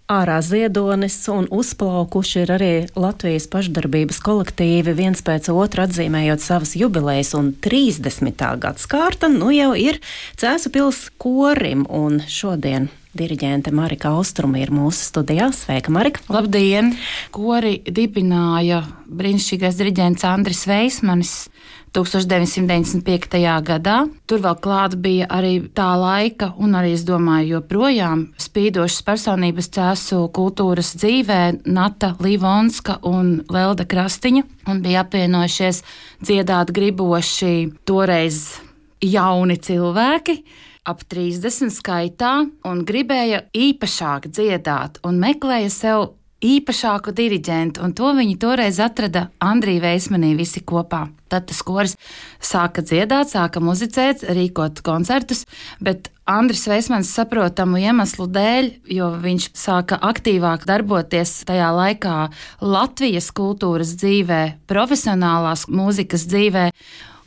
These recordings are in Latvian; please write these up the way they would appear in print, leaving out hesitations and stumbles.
Ārā ziedonis un uzplaukuši ir arī Latvijas pašdarbības kolektīvi, viens pēc otra atzīmējot savas jubilejas, un 30. gadskārta jau ir Cēsu pils korim, un šodien diriģente Marika Austruma ir mūsu studijā. Sveika, Marika! Labdien! Kori dibināja brīnišķīgais diriģents Andris Veismanis 1995. gadā. Tur vēl klāt bija arī tā laika, un arī, es domāju, joprojām spīdošas personības Cēsu kultūras dzīvē Nata Livonska un Lelda Krastiņa, un bija apvienojušies dziedāt griboši toreiz jauni cilvēki, ap 30 skaitā, un gribēja īpašāk dziedāt un meklēja sev īpašāku diriģentu, un to viņi toreiz atrada Andrī Veismanī visi kopā. Tad tas koris sāka dziedāt, sāka muzicēt, rīkot koncertus, bet Andris Veismans saprotamu iemeslu dēļ, jo viņš sāka aktīvāk darboties tajā laikā Latvijas kultūras dzīvē, profesionālās mūzikas dzīvē,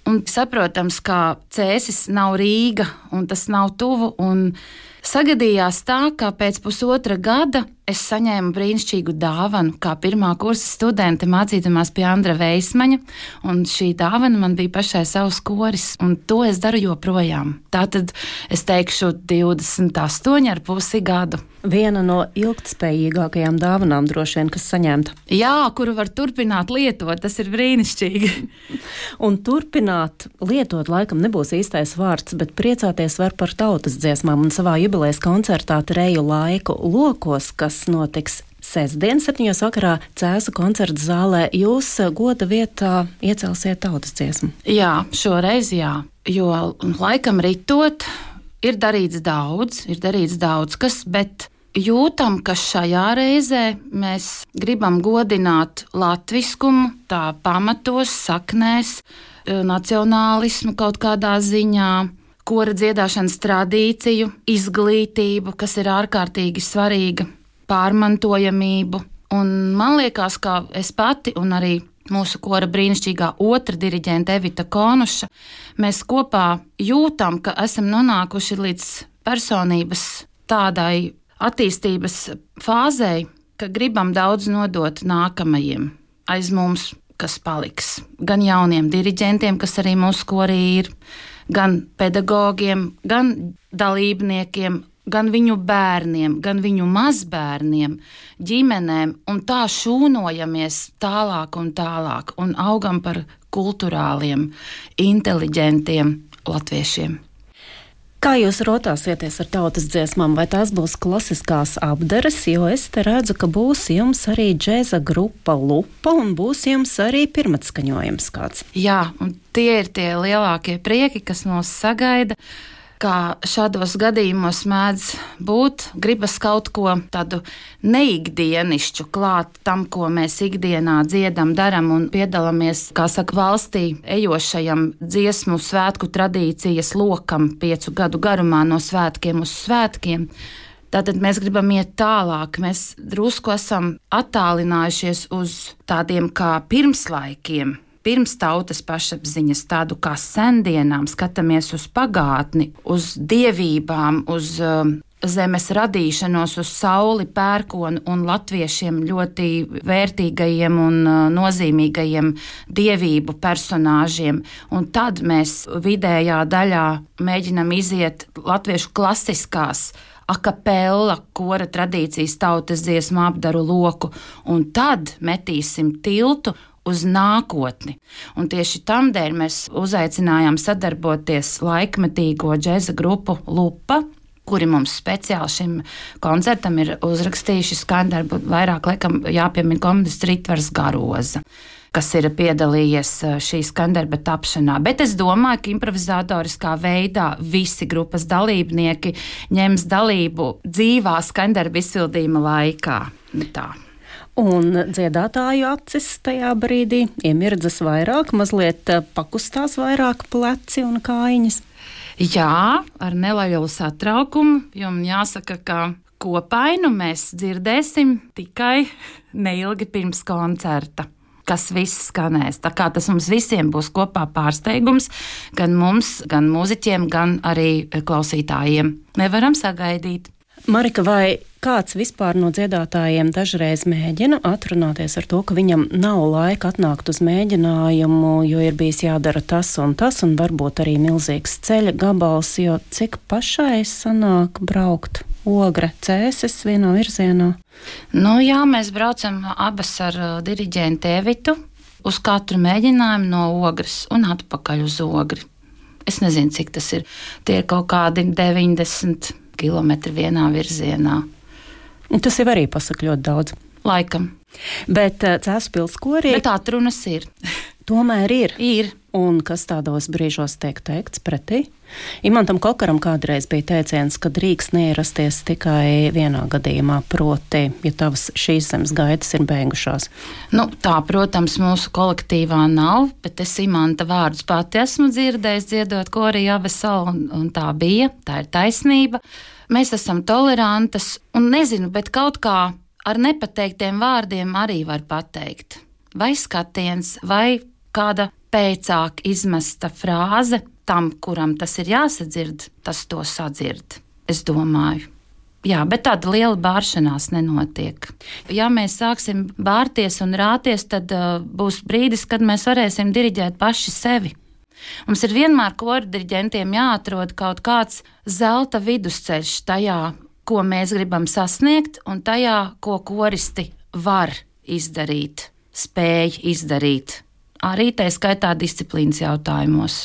un saprotams, ka Cēsis nav Rīga, un tas nav tuvu, un sagadījās tā, ka pēc pusotra gada es saņēmu brīnišķīgu dāvanu, kā pirmā kursa studente mācīdamās pie Andra Veismaņa, un šī dāvana man bija pašai savs koris, un to es daru joprojām. Tātad es teikšu 28,5 gadu. Viena no ilgtspējīgākajām dāvanām droši vien, kas saņemta. Jā, kuru var turpināt lietot, tas ir brīnišķīgi. Un turpināt lietot laikam nebūs īstais vārds, bet priecāties var par tautas dziesmām, un savā jubilejas koncertā Treju laiku lokos, kas notiks sestdien, 7. vakarā Cēsu koncerta zālē, jūs goda vietā iecelsiet tautas dziesmu. Jā, šoreiz jā, jo laikam ritot ir darīts daudz kas, bet jūtam, ka šajā reizē mēs gribam godināt latviskumu, tā pamatos, saknēs, nacionālismu kaut kādā ziņā, kora dziedāšanas tradīciju, izglītību, kas ir ārkārtīgi svarīga, pārmantojamību. Un man liekas, ka es pati un arī mūsu kora brīnišķīgā otra diriģente Evita Konuša, mēs kopā jūtam, ka esam nonākuši līdz personības tādai attīstības fāzei, ka gribam daudz nodot nākamajiem aiz mums, kas paliks. Gan jauniem diriģentiem, kas arī mūsu korī ir, gan pedagogiem, gan dalībniekiem, gan viņu bērniem, gan viņu mazbērniem, ģimenēm, un tā šūnojamies tālāk un augam par kulturāliem, inteliģentiem latviešiem. Kā jūs rotāsieties ar tautas dziesmām, vai tās būs klasiskās apdares, jo es te redzu, ka būs jums arī džēza grupa Lupa un būs jums arī pirmatskaņojums kāds? Jā, un tie ir tie lielākie prieki, kas mūs sagaida. Kā šādos gadījumos mēdz būt, gribas kaut ko tādu neikdienišķu klāt tam, ko mēs ikdienā dziedam, daram un piedalāmies, kā saka, valstī ejošajam dziesmu svētku tradīcijas lokam 5 gadu garumā no svētkiem uz svētkiem. Tātad mēs gribam iet tālāk, mēs drusku esam attālinājušies uz tādiem kā pirmslaikiem, pirms tautas pašapziņas, tādu kā sendienām, skatāmies uz pagātni, uz dievībām, uz zemes radīšanos, uz sauli, pērkonu un latviešiem ļoti vērtīgajiem un nozīmīgajiem dievību personāžiem. Un tad mēs vidējā daļā mēģinam iziet latviešu klasiskās akapella kora tradīcijas tautas dziesmu apdaru loku, un tad metīsim tiltu uz nākotni. Un tieši tamdēļ mēs uzaicinājām sadarboties laikmetīgo džeza grupu Lupa, kuri mums speciāli šim koncertam ir uzrakstījuši skaņdarbu, vairāk laikam jāpiemina komponista Ritvars Garoza, kas ir piedalījies šī skaņdarba tapšanā. Bet es domāju, ka improvizatoriskā veidā visi grupas dalībnieki ņems dalību dzīvā skaņdarba izpildījuma laikā. Tā. Un dziedātāju acis tajā brīdī iemirdzas vairāk, mazliet pakustās vairāk pleci un kājiņas. Jā, ar nelielu satraukumu, jo man jāsaka, ka kopainu mēs dzirdēsim tikai neilgi pirms koncerta, kas viss skanēs. Tā kā tas mums visiem būs kopā pārsteigums, gan mums, gan mūziķiem, gan arī klausītājiem. Nevaram sagaidīt. Marika, vai kāds vispār no dziedātājiem dažreiz mēģina atrunāties ar to, ka viņam nav laika atnākt uz mēģinājumu, jo ir bijis jādara tas, un varbūt arī milzīgs ceļa gabals, jo cik pašai sanāk braukt Ogre, Cēsis vienā virzienā? Jā, mēs braucam abas ar diriģentu Evitu uz katru mēģinājumu no Ogres un atpakaļ uz Ogri. Es nezinu, cik tas ir. Tie ir kaut kādi 90 kilometri vienā virzienā. Tas jau arī pasaka ļoti daudz. Laikam. Bet Cēsu pilskorī... Bet atrunas ir. Tomēr ir. Ir. Un kas tādos brīžos tiek teikts pretī? Imantam Kokaram kādreiz bija teiciens, ka drīkst neierasties tikai vienā gadījumā, proti, ja tavas šīs zemes gaitas ir beigušās. Tā, protams, mūsu kolektīvā nav, bet es Imanta vārdus pati esmu dzirdējis dziedot korī Avesalu, un tā bija, tā ir taisnība. Mēs esam tolerantas, un nezinu, bet kaut kā ar nepateiktiem vārdiem arī var pateikt. Vai skatiens, vai kāda pēcāk izmesta frāze tam, kuram tas ir jāsadzird, tas to sadzird, es domāju. Jā, bet tāda liela bāršanās nenotiek. Ja mēs sāksim bārties un rāties, tad būs brīdis, kad mēs varēsim diriģēt paši sevi. Mums ir vienmēr koru diriģentiem jāatrod kaut kāds zelta vidusceļš tajā, ko mēs gribam sasniegt, un tajā, ko koristi var izdarīt, spēj izdarīt. Arī tā skaitā disciplīnas jautājumos.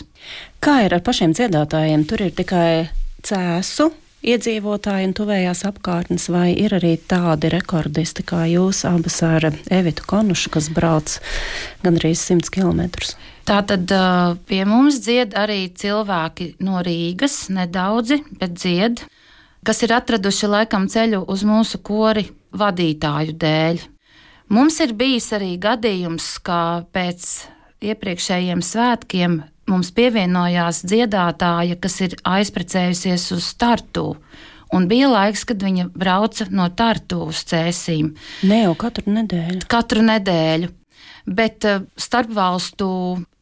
Kā ir ar pašiem dziedātājiem? Tur ir tikai Cēsu iedzīvotāji un tuvējās apkārtnes, vai ir arī tādi rekordisti kā jūs abas ar Evitu Konušu, kas brauc gandrīz 100 kilometrus? Tātad pie mums dzied arī cilvēki no Rīgas, nedaudzi, bet dzied, kas ir atraduši laikam ceļu uz mūsu kori vadītāju dēļ. Mums ir bijis arī gadījums, ka pēc iepriekšējiem svētkiem mums pievienojās dziedātāja, kas ir aizprecējusies uz Tartu. Un bija laiks, kad viņa brauca no Tartu uz Cēsīm. Ne jau katru nedēļu. Katru nedēļu. Bet starpvalstu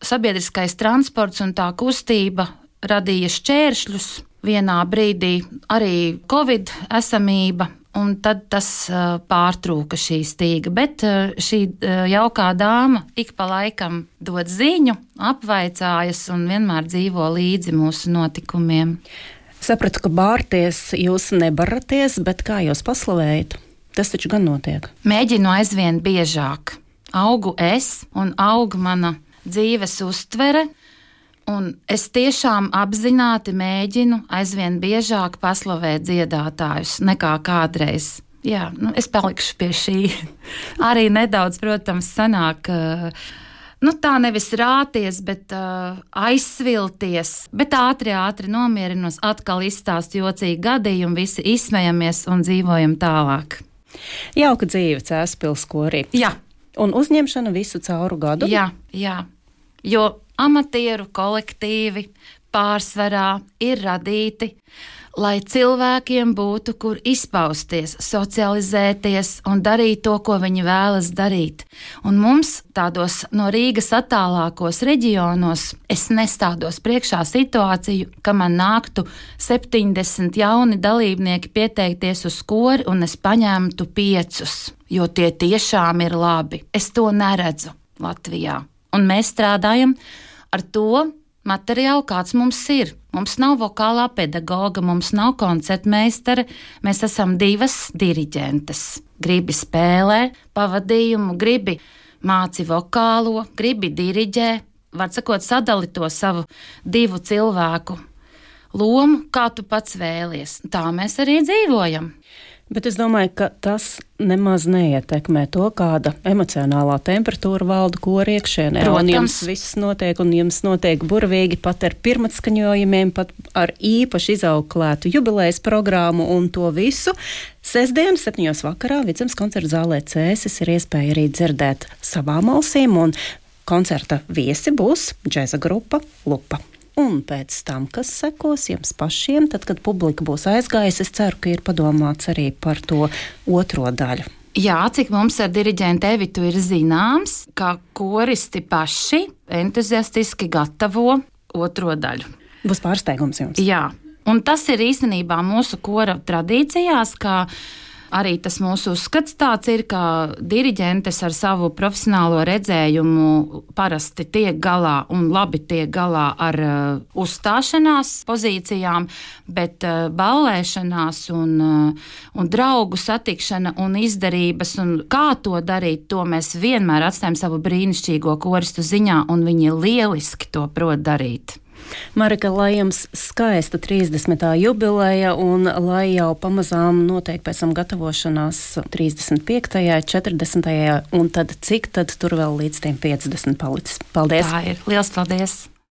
sabiedriskais transports un tā kustība radīja šķēršļus. Vienā brīdī arī Covid esamība. Un tad tas pārtrūka šī stīga, bet šī jaukā dāma ik pa laikam dod ziņu, apvaicājas un vienmēr dzīvo līdzi mūsu notikumiem. Sapratu, ka bārties jūs nebaraties, bet kā jūs paslavējat? Tas taču gan notiek. Mēģinu aizvien biežāk. Augu es un auga mana dzīves uztvere. Un es tiešām apzināti mēģinu aizvien biežāk paslavēt dziedātājus nekā kādreiz. Jā, es palikšu pie šī. Arī nedaudz, protams, sanāk, tā nevis rāties, bet aizsvilties, bet ātri nomierinos, atkal izstāst jocīgi gadījumu, visi izsmejamies un dzīvojam tālāk. Jauka dzīve Cēsu pilskorī. Jā. Un uzņemšana visu cauru gadu? Jā. Jo amatieru kolektīvi pārsvarā ir radīti, lai cilvēkiem būtu, kur izpausties, socializēties un darīt to, ko viņi vēlas darīt. Un mums tādos no Rīgas attālākos reģionos es nestādos priekšā situāciju, ka man nāktu 70 jauni dalībnieki pieteikties uz kori un es paņemtu 5, jo tie tiešām ir labi. Es to neredzu Latvijā. Un mēs strādājam ar to materiālu, kāds mums ir. Mums nav vokālā pedagoga, mums nav koncertmeistara, mēs esam 2 diriģentes. Gribi spēlē pavadījumu, gribi māci vokālo, gribi diriģē, var sakot, sadali to savu 2 cilvēku lomu, kā tu pats vēlies. Tā mēs arī dzīvojam. Bet es domāju, ka tas nemaz neietekmē to, kāda emocionālā temperatūra valda kora iekšienē. Protams. Un jums viss notiek, un jums notiek burvīgi, pat ar pirmatskaņojumiem, pat ar īpaši izauklētu jubilejas programmu un to visu. Sestdien, 7. vakarā, Vidzemes koncerta zālē Cēsis ir iespēja arī dzirdēt savām ausīm, un koncerta viesi būs džeza grupa Lupa. Un pēc tam, kas sekos jums pašiem, tad, kad publika būs aizgājusi, es ceru, ka ir padomāts arī par to otro daļu. Jā, cik mums ar diriģentu Evitu ir zināms, ka koristi paši entuziastiski gatavo otro daļu. Būs pārsteigums jums. Jā, Un tas ir īstenībā mūsu kora tradīcijās, ka arī tas mūsu uzskats tāds ir, ka diriģentes ar savu profesionālo redzējumu parasti tiek galā un labi tiek galā ar uzstāšanās pozīcijām, bet ballēšanās un draugu satikšana un izdarības un kā to darīt, to mēs vienmēr atstājam savu brīnišķīgo koristu ziņā, un viņi lieliski to prot darīt. Marika, lai jums skaista 30. jubileja un lai jau pamazām notiek pēc tam gatavošanās 35., 40. un tad cik tad tur vēl līdz tiem 50 palicis. Paldies! Tā ir. Liels paldies!